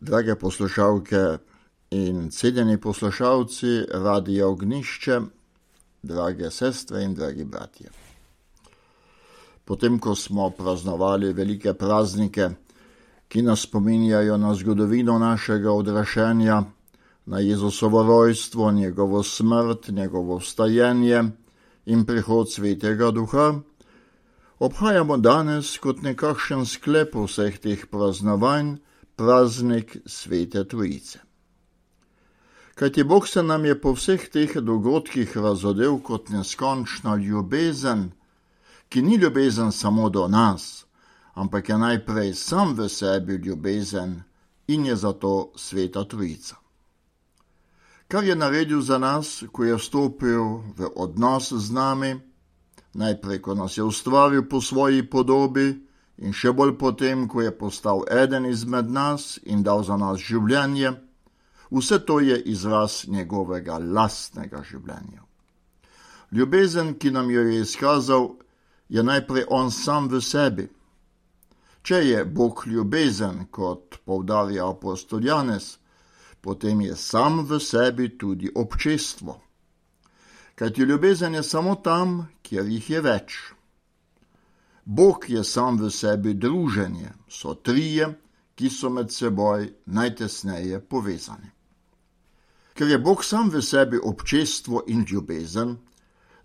Drage poslušalke in cenjeni poslušalci Radia Ognišče, drage sestre in dragi bratje. Potem, ko smo praznovali velike praznike, ki nas spominjajo na zgodovino našega odraščanja, na Jezusovo rojstvo, njegovo smrt, njegovo vstajenje in prihod Svetega Duha, obhajamo danes kot nekakšen sklep vseh teh praznovanj praznik Svete Trojice. Kajti Bog se nam je po vseh teh dogodkih razodel kot neskončna ljubezen, ki ni ljubezen samo do nas, ampak je najprej sam v sebi ljubezen in je zato Sveta Trojica. Kar je naredil za nas, ko je vstopil v odnos z nami, najprej, ko nas je ustvaril po svoji podobi in še bolj potem, ko je postal eden izmed nas in dal za nas življenje, vse to je izraz njegovega lastnega življenja. Ljubezen, ki nam jo je izkazal, je najprej on sam v sebi. Če je Bog ljubezen, kot poudarja apostol Janez, potem je sam v sebi tudi občestvo. Kajti ljubezen je samo tam, kjer jih je več. Bog je sam v sebi druženje, so trije, ki so med seboj najtesneje povezani. Ker je Bog sam v sebi občestvo in ljubezen,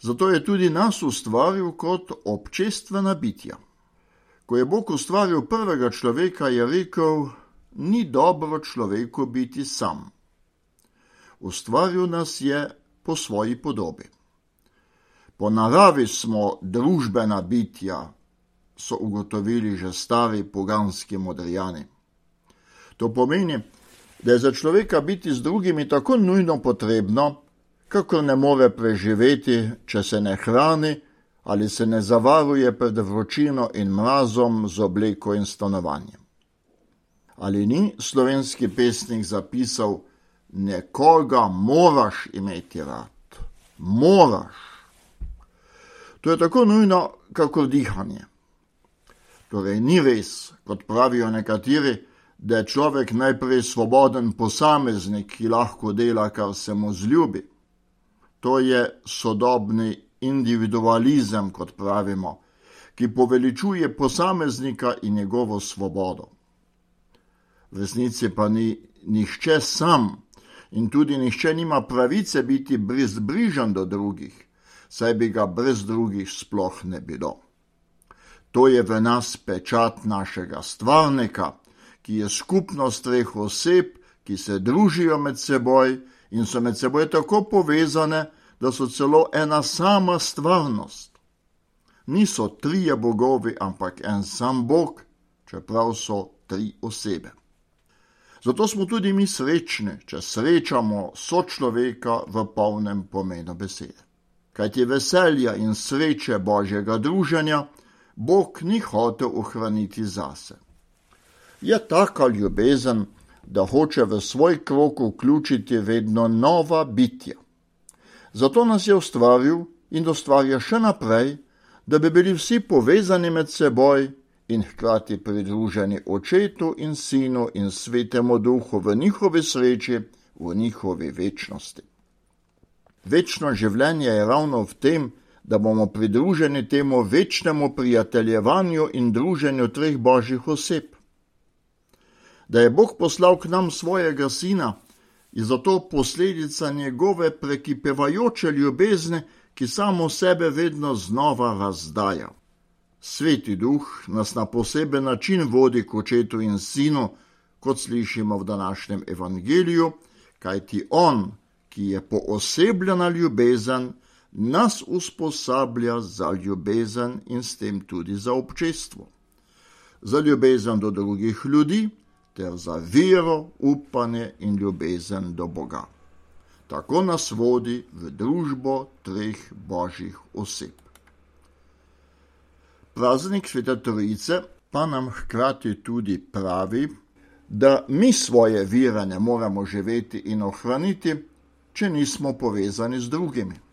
zato je tudi nas ustvaril kot občestvena bitja. Ko je Bog ustvaril prvega človeka, je rekel, ni dobro človeku biti sam. Ustvaril nas je po svoji podobi. Po naravi smo družbena bitja, so ugotovili že stari poganski modrijani. To pomeni, da je za človeka biti z drugimi tako nujno potrebno, kakor ne more preživeti, če se ne hrani ali se ne zavaruje pred vročino in mrazom z obleko in stanovanjem. Ali ni slovenski pesnik zapisal, nekoga moraš imeti rad. Moraš. To je tako nujno, kakor dihanje. Torej ni res, kot pravijo nekateri, da je človek najprej svoboden posameznik, ki lahko dela, kar se mu zljubi. To je sodobni individualizem, kot pravimo, ki poveličuje posameznika in njegovo svobodo. V resnici pa ni nihče sam in tudi nihče nima pravice biti brezbrižen do drugih, saj bi ga brez drugih sploh ne bilo. To je v nas pečat našega stvarnika, ki je skupnost treh oseb, ki se družijo med seboj in so med seboj tako povezane, da so celo ena sama stvarnost. Niso trije bogovi, ampak en sam Bog, čeprav so tri osebe. Zato smo tudi mi srečni, če srečamo sočloveka v polnem pomenu besede. Kajti veselja in sreče Božjega druženja Bog ni hotel ohraniti zase. Je taka ljubezen, da hoče v svoj krog vključiti vedno nova bitja. Zato nas je ustvaril in ustvarja še naprej, da bi bili vsi povezani med seboj in hkrati pridruženi Očetu in Sinu in Svetemu Duhu v njihovi sreči, v njihovi večnosti. Večno življenje je ravno v tem, da bomo pridruženi temu večnemu prijateljevanju in druženju treh Božjih oseb. Da je Bog poslal k nam svojega Sina, je zato posledica njegove prekipevajoče ljubezni, ki samo sebe vedno znova razdaja. Sveti Duh nas na poseben način vodi k Očetu in Sinu, kot slišimo v današnjem evangeliju, kajti on, ki je poosebljena ljubezen, nas usposablja za ljubezen in s tem tudi za občestvo. Za ljubezen do drugih ljudi, ter za vero, upanje in ljubezen do Boga. Tako nas vodi v družbo treh Božjih oseb. Praznik Svete Trojice pa nam hkrati tudi pravi, da mi svoje vere ne moremo živeti in ohraniti, če nismo povezani z drugimi.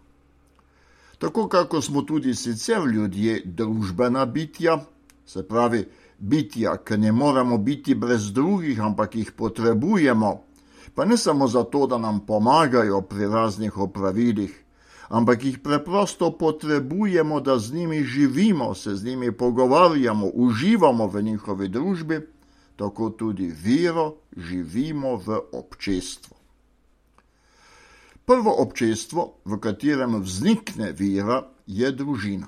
Tako kako smo tudi sicer ljudje družbena bitja, se pravi, bitja, ki ne moremo biti brez drugih, ampak jih potrebujemo, pa ne samo zato, da nam pomagajo pri raznih opravilih, ampak jih preprosto potrebujemo, da z njimi živimo, se z njimi pogovarjamo, uživamo v njihovi družbi, tako tudi vero živimo v občestvu. Prvo občestvo, v katerem vznikne vera, je družina.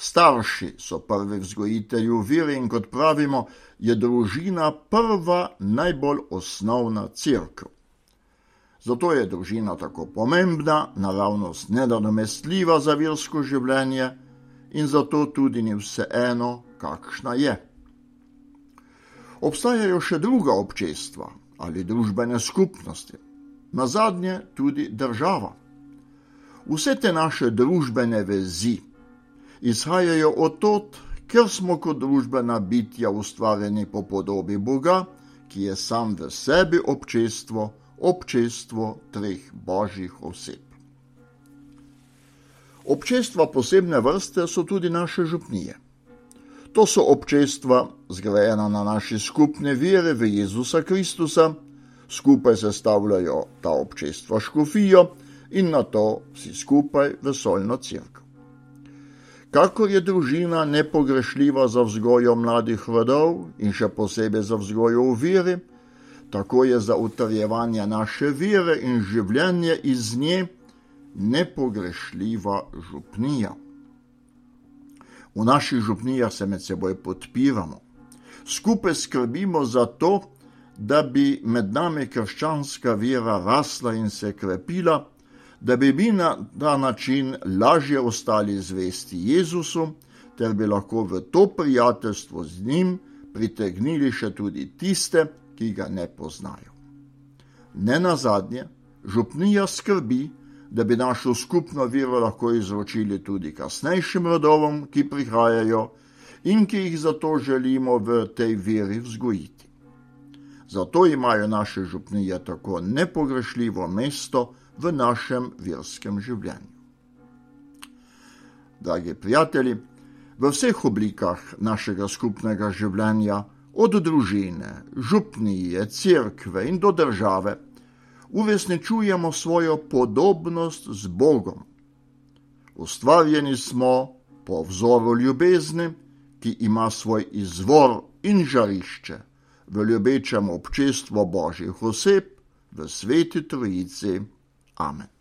Starši so prvi vzgojitelji vere in kot pravimo, je družina prva, najbolj osnovna cerkev. Zato je družina tako pomembna, naravnost nenadomestljiva za versko življenje in zato tudi ni vseeno, kakšna je. Obstajajo še druga občestva ali družbene skupnosti, nazadnje tudi država. Vse te naše družbene vezi izhajajo od tod, ker smo kot družbena bitja ustvarjeni po podobi Boga, ki je sam v sebi občestvo treh božjih oseb. Občestva posebne vrste so tudi naše župnije. To so občestva zgrajena na naši skupne vere v Jezusa Kristusa, skupaj sestavljajo ta občestva škofijo in nato vsi skupaj vesoljno cerkev. Kakor je družina nepogrešljiva za vzgojo mladih rodov in še posebej za vzgojo v veri, tako je za utrjevanje naše vere in življenje iz nje nepogrešljiva župnija. V naših župnijah se med seboj podpiramo. Skupaj skrbimo za to, da bi med nami krščanska vera rasla in se krepila, da bi mi na ta način lažje ostali zvesti Jezusu, ter bi lahko v to prijateljstvo z njim pritegnili še tudi tiste, ki ga ne poznajo. Nenazadnje, župnija skrbi, da bi našo skupno vero lahko izročili tudi kasnejšim rodovom, ki prihajajo in ki jih zato želimo v tej veri vzgojiti. Zato imajo naše župnije tako nepogrešljivo mesto v našem verskem življenju. Dragi prijatelji, v vseh oblikah našega skupnega življenja, od družine, župnije, cerkve in do države, uresničujemo svojo podobnost z Bogom. Ustvarjeni smo po vzoru ljubezni, ki ima svoj izvor in žarišče v ljubečem občestvu božjih oseb, v Sveti Trojici. Amen.